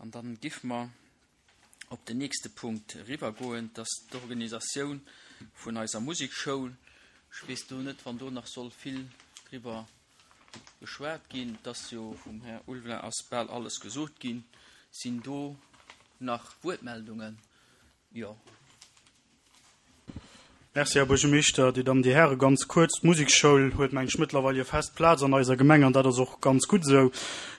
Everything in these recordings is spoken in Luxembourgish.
An dann giff mer op den nächste Punkt eriwwergoen, dat ass d'Organisatioun vun eiser Musekschoul. Ech weess do net, wann do nach soll vill driwwer geschwat ginn. Et ass jo vum Här Ulveling ass bal alles gesot ginn. Sinn do nach Wuertmeldungen? Jo. Merci, Här Buergermeeschter, Dir Dammen, Dir Hären. Ganz kuerz, D'Musekschoul huet, meng ech, mëttlerweil hir fest Plaz an eiser Gemeng an dat ass och ganz gutt esou.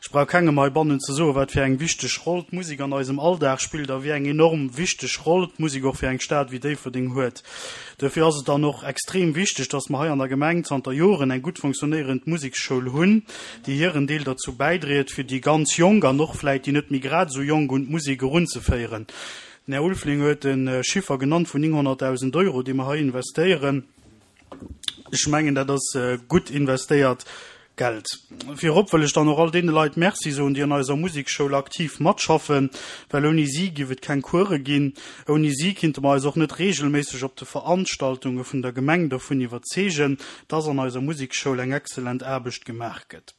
Ech brauch kengem heibannen ze soen, wat fir eng wichteg Roll d'Musek an eisem Alldag spillt a wéi eng enorm wichteg Roll d'Musek och fir eng Stad wéi Déifferdeng huet. Duerfir ass et dann och extrem wichteg, dass mer hei an der Gemeng zanter Joren eng gutt fonctionnéierend Musekschoul hunn, déi hiren Deel derzou bäidriet, fir déi ganz Jonk an och vläit déi net méi grad esou Jonk un d'Musek erunzeféieren. Den Här Ulveling huet e Chiffer genannt vun 900.000 Euro, déi mer hei investéieren. Ech mengen, dat ass gutt investéiert Geld. Virop wëll ech dann och all deene Leit Merci soen, déi an eiser Musekschoul aktiv matschaffen, well ouni si giff et keng Course ginn. Ouni si kinnte mer eis och net regelméisseg op de Veranstaltunge vun der Gemeng dervun iwwerzeegen, dass an eiser Musekschoul eng exzellent Aarbecht gemaach gëtt.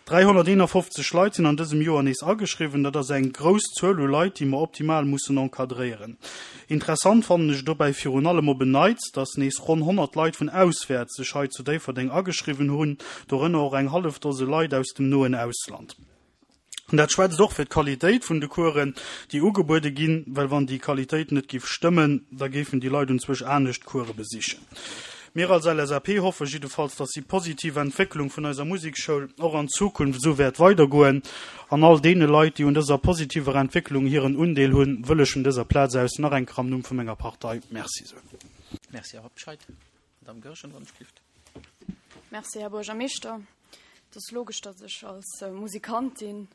351 Leit sinn an dësem Joer nees ageschriwwen. Dat ass eng grouss Zuel u Leit, déi mer optimal mussen encadréieren. Interessant fannen ech dobäi virun allem op en Neits, dass nees ronn 100 Leit vun auswäerts sech hei zu Déifferdeng ageschriwwen hunn, dorënner och eng hallef Dose Leit aus dem noen Ausland. An dat schwätzt och fir d'Qualitéit vun de Coursen, déi ugebuede ginn, well wann déi Qualitéit net géif stëmmen, da géifen déi Leit unzwousch anescht Course besichen. Mir als LSAP hoffe jiddefalls, dass déi positiv Entwécklung vun eiser Musekschoul och an Zukunft esou wäert weidergoen. An all deene Leit, déi un dëser positiver Entwécklung hiren Undeel hunn, wëll ech vun dëser Plaz aus nach eng Kéier am Numm vu menger Partei Merci soen. Merci, Här Hobscheit. Madame Goergen, wann ech gift. Merci, Här Buergermeeschter. Et ass logesch, datt ech als Musikantin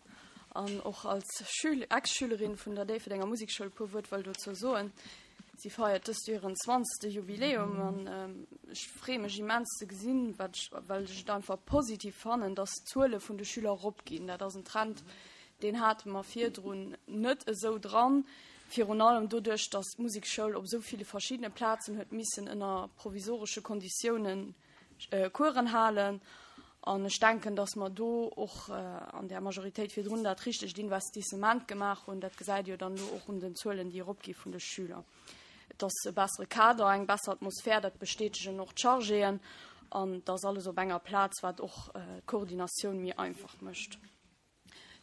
an och als Schül Ex-Schülerin vun der Déifferdenger Musekschoul e puer Wuert wëll dozou soen. Si feiert dëst Joer hiren zwanzegste Jubiläum an ech freeë mech immens ze gesinn, wat ech, well ech et einfach positiv fannen, datt d'Zuele vun de Schüler eropginn. Dat ass en Trend, deen hate mer virdrun net esou dran. Virun allem doduerch, datt d'Musekschoul op esou ville verschiddene Plazen huet missen ënner provisoresche Konditiounen Coursen halen. An ech denken, datt mer do och an där Majoritéit virdrun dat richtegt Investissement gemaach hunn. Dat gesäit ee jo dann elo och un den Zuelen, déi eropgi vun de Schüler. Et ass e bessere Kader, eng besser Atmosphär, dat bestätegen och d'Chargéen. An et ass alles op enger Plaz, wat och d'Koordinatioun méi einfach mécht.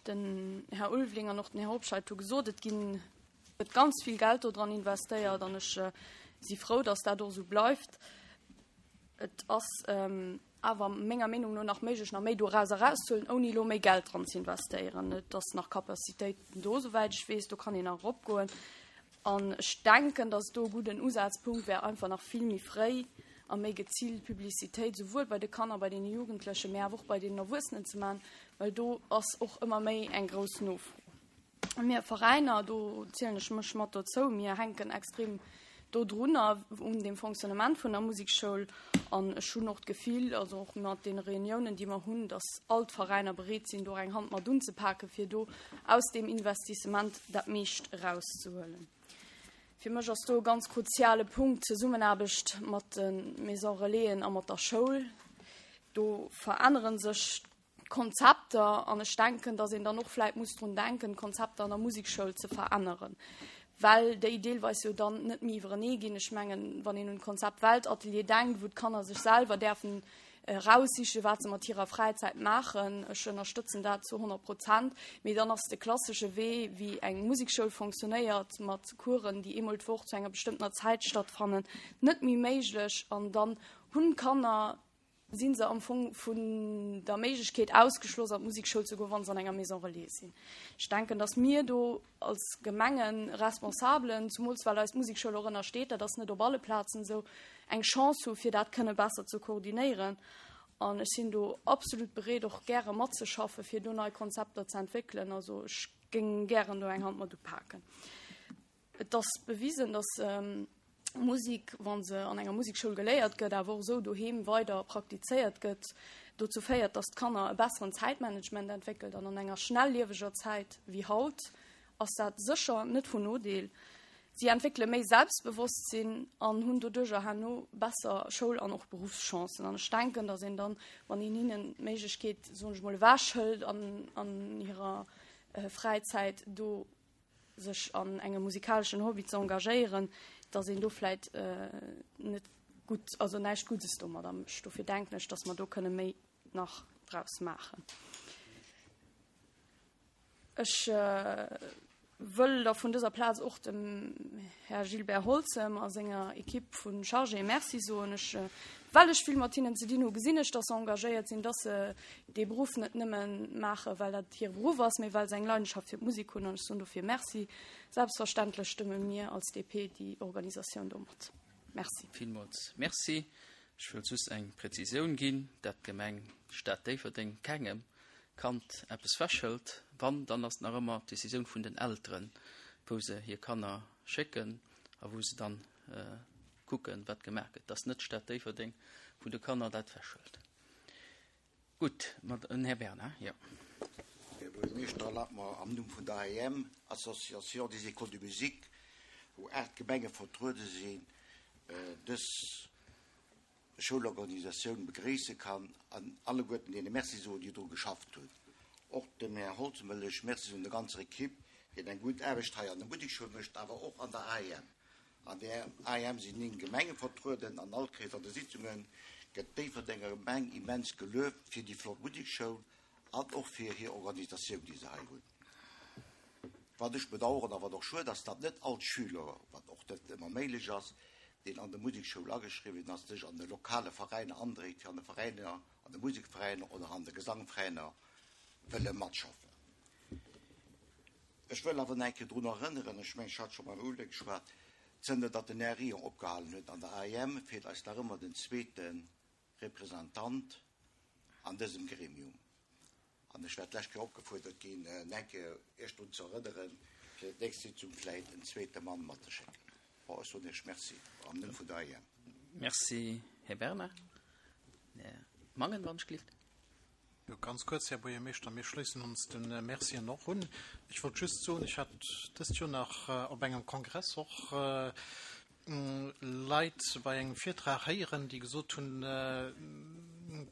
Den Här Ulveling an och den Här Hobscheit hu gesot, et ginn, gëtt ganz vill Geld do dran investéiert an ech si frou, datt dat och esou bleift. Et ass awer menger Meenung no nach méiglech, nach méi doraus erauszehuelen, ouni elo méi Geld dran ze investéieren. Et ass nach Capacitéiten do, souwäit ech weess, do kann een nach eropgoen. An ech denken, dass et do e gudden Usazpunkt wär, einfach nach vill méi fréi a méi geziilt Publicitéit souwuel bei de Kanner, bei deene Jugendlechen, mä awer och bei deenen Erwuessenen ze maachen, well do ass och ëmmer méi eng grouss Nofro. A mir Veräiner, do zielen ech mech mat dozou, mir hänken extrem dodrunner, un dem Fonctionnement vun der Musekschoul. An ech hunn och d'Gefill, also och mat deene Reuniounen, déi mer hunn, dass all d'Veräiner bereet sinn, do och eng Hand mat unzepaken, fir do aus deem Investissement dat meescht erauszehuelen. Fir mech ass do e ganz kruziale Punkt d'Zesummenaarbecht mat de Maison Relaisen a mat der Schoul. Do verännere sech d'Konzepter an ech denken, dass een dann och vläit muss drun denken, d'Konzepter an der Musekschoul ze veränneren, well déi deelweis jo dann net méi iwwerenee ginn. Ech mengen, wann een un d'Konzept Weltatelier denkt, wou d'Kanner sech selwer däerfen eraussichen, wat se mat hirer Fräizäit maachen, ech ënnerstëtzen dat zu 100 Prozent, mee dann ass de klassesche Wee, wéi eng Musekschoul fonctionnéiert, mat Coursen, déi eemol d'Woch zu enger bestëmmtener Zäit stattfannen, net méi méiglech an dann hunn d'Kanner si se am Fong vun der Méiglechkeet ausgeschloss, an d'Musekschoul ze goen, wa se an enger Maison relais sinn. Ech denken, datt mir do als Gemengeresponsabelen, zumools well eis d'Musekschoul och ënnersteet, dat ass net op alle Plazen esou, eng Chance hu fir dat kënne besser ze koordinéieren. An ech sinn do absolut bereet, och gäre matzeschaffen, fir do nei Konzepter ze entwéckelen. Also ech géing gären do eng Hand mat upaken. Et ass bewisen, datt Musek, wa se an enger Musekschoul geléiert gëtt, awer och esou doheem weider praktizéiert gëtt, dozou féiert, datt d'Kanner e besseren Zäitmanagement entwéckelt. An an enger schnellieweger Zäit wéi haut ass dat sécher net vun Nodeel. Si entwéckele méi Selbstbewosstsinn an hunn doduercher herno besser Schoul an och Beruffschancen. An ech denken, datt een dann, wann een hinnen d'Méiglechkeet, soen ech mol, ewechhëlt an hirer. Fräizäit do sech an engem musikaleschen Hobby ze engagéieren, dass een do vläit net gutt, also näischt Guddes domadder mécht. Dofir denken ech, dass mer do kënne méi nach draus maachen. Ech wëll da vun dëser Plaz och dem Här Gilbert Holzem a senger Equipe vu Chargéë Merci soen. Ech, well ech vill mat hinnen ze dinn hu, gesinn ech, dass se engagéiert sinn, dass se dee Beruff net nëmme maachen, well dat hire Beruff ass, mee well se eng Leidenschaft fir d'Musek hunn. An ech soen dofir Merci. Selbstverständlech stëmme mir als DP déi Organisatioun do mat. Merci. Villmools Merci. Ech wëll just eng Präzisioun ginn, dat d'Gemeng Stad Déifferdeng kengem Kand eppes wechhëlt. Wann, dann ass et nach ëmmer d'Decisioun vun den Elteren, wou se hir Kanner schécken a wou se dann kucken, wat gemaach gëtt. Et ass net d'Stad Déifferdeng, wou de Kanner dat wechhëlt. Gutt, ma den Här Bernard, jo. Här Buergermeeschter, erlaabt mer am Numm vun der AEM, Association des Écoles de Musique, wou 8 Gemenge vertruede sinn, dës Schoulorganisatioun begréisse kann an alleguerten deene Merci soen, déi dru geschafft hunn. Och dem Här Holzem wëll ech Merci soen, der ganzer Equipe, deen eng gutt Aarbecht hei an der Musekschoul mécht, awer och an der AEM. An der AEM sinn 9 Gemenge vertrueden an all Kéiers an de Sitzunge gëtt d'Déifferdenger Gemeng immens gelueft fir déi flott Musekschoul an och fir hir Organisatioun, déi se hei hunn. Wat ech bedauern a wat och schued ass, datt net all Schüler, wat och net ëmmer méiglech ass, deen an der Musekschoul ageschriwwen ass, sech an de lokale Veräiner andréit, fir an de Veräiner, an de Musekveräiner oder an de Gesangveräiner wëlle matschaffen. Ech wëll awer nach eng Kéier drun erënneren, ech mengen, ech hat scho mam Ulle geschwat, zënter datt den Här Rion opgehalen huet an der AEM, feelt eis nach ëmmer den zweete Representant an dësem Gremium. An ech war d'lescht Kéier opgefuerdert ginn, nach eng Kéier Iech drun ze erënneren, fir d'nächst Sitzung vläicht en zweete Mann matzeschécken. Bon, ech soen Iech Merci am Numm vun der AEM. Merci, Här Bernard. Här Mangen, wann ech gelift. Jo, ganz kuerz, Här Buergermeeschter, mir schléissen ons de Mercien och un. Ech wollt just soen, ech hat dëst Joer nach op engem Kongress och Leit bei engem Virtrag héieren, déi gesot hunn,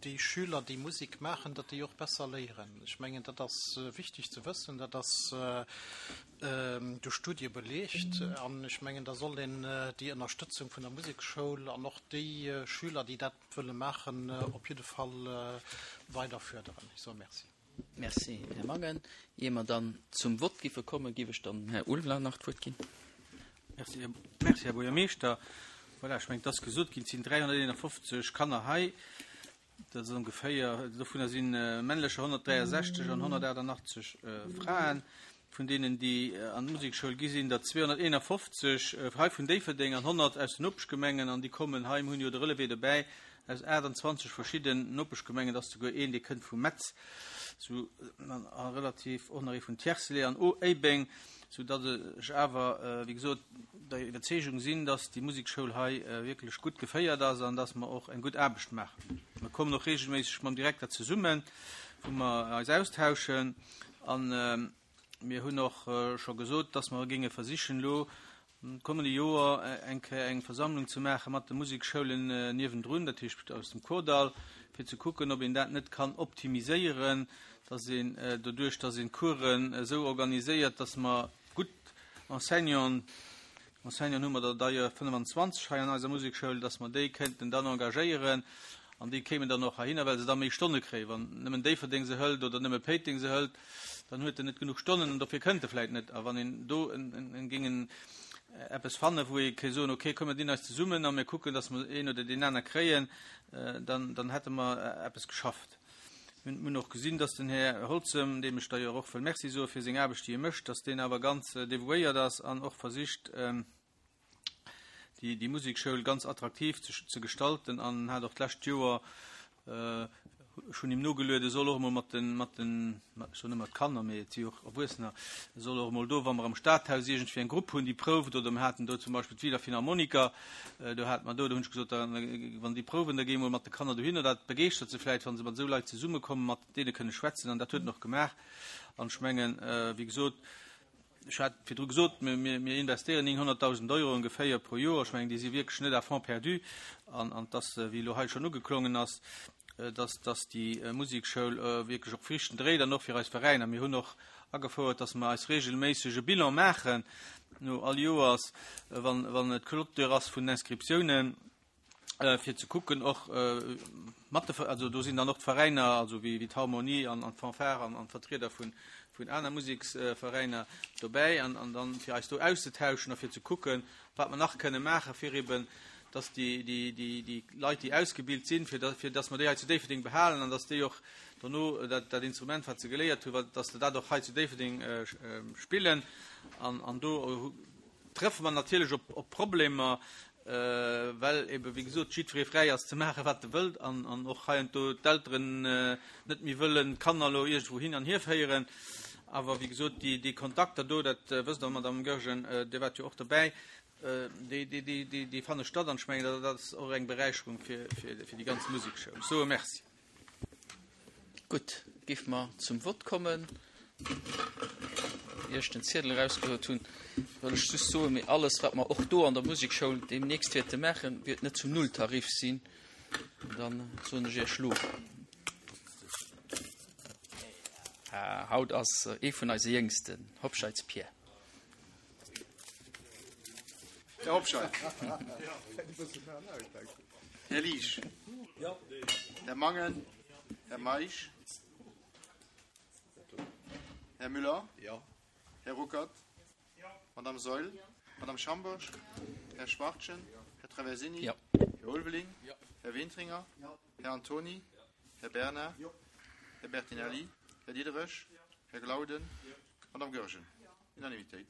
déi Schüler, déi Musek maachen, datt déi och besser léieren. Ech mengen, dat ass wichteg ze wëssen, dat ass duerch Studie beleegt. An ech mengen, da soll een déi Ënnerstëtzung vun der Musekschoul an och déi Schüler, déi dat wëlle maachen, op jidde Fall weider förderen. Ech soe Merci. Merci, Här Mangen. Ier mer dann zum Vott giffe kommen, giff ech dann dem Här Ulveling nach d'Wuert ginn. Merci, merci, Här Buergermeeschter. Voilà, ech mengen, et ass gesot ginn, et sinn 351 Kanner hei. Dat ass ongeféier, dovunner si männlecher 163 an 188 Fraen. Vun deenen, déi an d'Musekschoul gi sinn der 251 hei vun Déifferdeng an 100 aus den Nopeschgemengen. An déi kommen hei, mir hunn jo de Relevé dobäi, aus 28 verschidden Nopeschgemengen. Et ass souguer een, dee kënnt vu Metz, sou a relativ och nach ee vun Tiercelet an Éibeng, sou datt ech awer, wéi gesot, der Iwwerzeegung sinn, datt déi Musekschoul hei wierklech gutt geféiert ass an datt mer och eng gutt Aarbecht maachen. Mer kommen och reegelméisseg mam Direkter zesummen, wou mer eis austauschen. An mir hunn och scho gesot, dass mer géinge versichen, elo am kommende Joer eng Kéier eng Versammlung ze maache mat de Musekschoulen niewendrun, dat heescht aus dem Kordall, fir ze kucken, ob een dat net kann optimiséieren, dass een doduerch, dass een d'Coursen esou organiséiert, dass mer gutt Enseignanten, Enseignanten hu mer der d'ailleurs 25 hei an eiser Musekschoul, dass mer déi kéinten dann engagéieren an déi kéimen dann och heihinner, well se da méi Stonne kréien. Wann nëmmen Déifferdeng se hëlt oder nëmme Péiteng se hëlt, dann huet en net genuch Stonnen an dofir kënnt e vläit net. A wann een do géing eppes fannen, wou ee kéint soen, okay, komm mir dinn eis zesummen a mir kucken, dass mer een oder deen aner kréien, dann, dann hätte mer eppes geschafft. Mir hunn och gesinn, dass den Här Holzem, deem ech d'ailleurs och wëll Merci soe fir seng Aarbecht, déi e mécht, dass deen awer ganz devouéiert ass an och versicht, déi Musekschoul ganz attraktiv ze gestalten an hat och d'lescht Joer, ech hunn him nogeluet, e soll och emol mat den, mat den, ech soen ëmmer d'Kanner, mee et si och Erwuessener, e soll och emol do, wa mer am Stadhaus iergendwéi eng Grupp hunn, déi prouft, oder mir haten do zum Beispill d'Wieler Philharmoniker, do hate mer do, do hunn ech gesot, da wann déi prouwen, da géi emol mat de Kanner dohinner, dat begeeschtert se vläicht, wa se mat esou Leit zesummekommen, mat deene kënne schwätzen an dat huet en och gemaach an ech mengen, wéi gesot, Ech hat virdru gesot, mir investéieren 900.000 Euro ongeféier pro Joer. Ech mengen, déi si wierklech net à fonds perdu. An et ass, wéi elo hei schonn ugeklongen ass, dass, dass déi Musekschoul wierklech och Friichten dréit an och fir eis Veräiner. Mir hunn och. Agefouert, dass mer eis regelméisseg e Bilan maachen no all Joers, wann, wann et Clôture ass vun den Inscriptiounen, fir ze kucken och mat de, also do sinn dann och d'Veräiner, also wéi, wéi d'Harmonie an, an d'Fanfare an, an d'Vertrieder vun, vun aner Museksveräiner dobäi an, an dann fir eis do auszetauschen a fir ze kucken, wat mer nach kënne maachen, fir eben, dass déi, déi, déi, déi Leit, déi ausgebilt sinn, fir, fir dass mer déi hei zu Déifferdeng behalen an dass déi och dono dat, dat Instrument, wat se geléiert hunn, dass se dat och hei zu Déifferdeng spillen. An, an do treffe mer natierlech op, op Problemer, well ebe wéi gesot jiddweree fräi ass ze maachen, wat e wëllt an, an och heiansdo d'Elteren net méi wëllen d'Kanner elo iergendwou hin an hierféieren. Awer wéi gesot, déi, déi Kontakter do, dat wësst Der, Madame Goergen, Dir waart jo och dobäi, déi, déi, déi, déi, déi fanne statt an ech mengen, dat, dat ass och eng Beräicherung fir, fir, fir déi ganz Musekschoul. Ech soe Merci. Gutt, géife mer zum Vott kommen. Ier ech den Ziedel erausgehuet hunn, wëll ech just soen, mee alles, wat mer och do an der Musekschoul deemnächst wäerte maachen, wäert net zum Nulltarif sinn. Dann soen ech Iech elo. Haut ass ee vun eise Jéngsten, Hobscheits Pierre. Här Hobscheit. Här Liesch. Här Mangen. Här Meisch. Här Müller. Här Ruckert. Madame Saeul. Madame Schambourg. Här Schwachtgen. Här Traversini. Här Ulveling. Här Wintringer. Här Antony. Här Bernard. Här Bertinelli. Här Diderich. Här Glauden. Madame Goergen. Unanimitéit.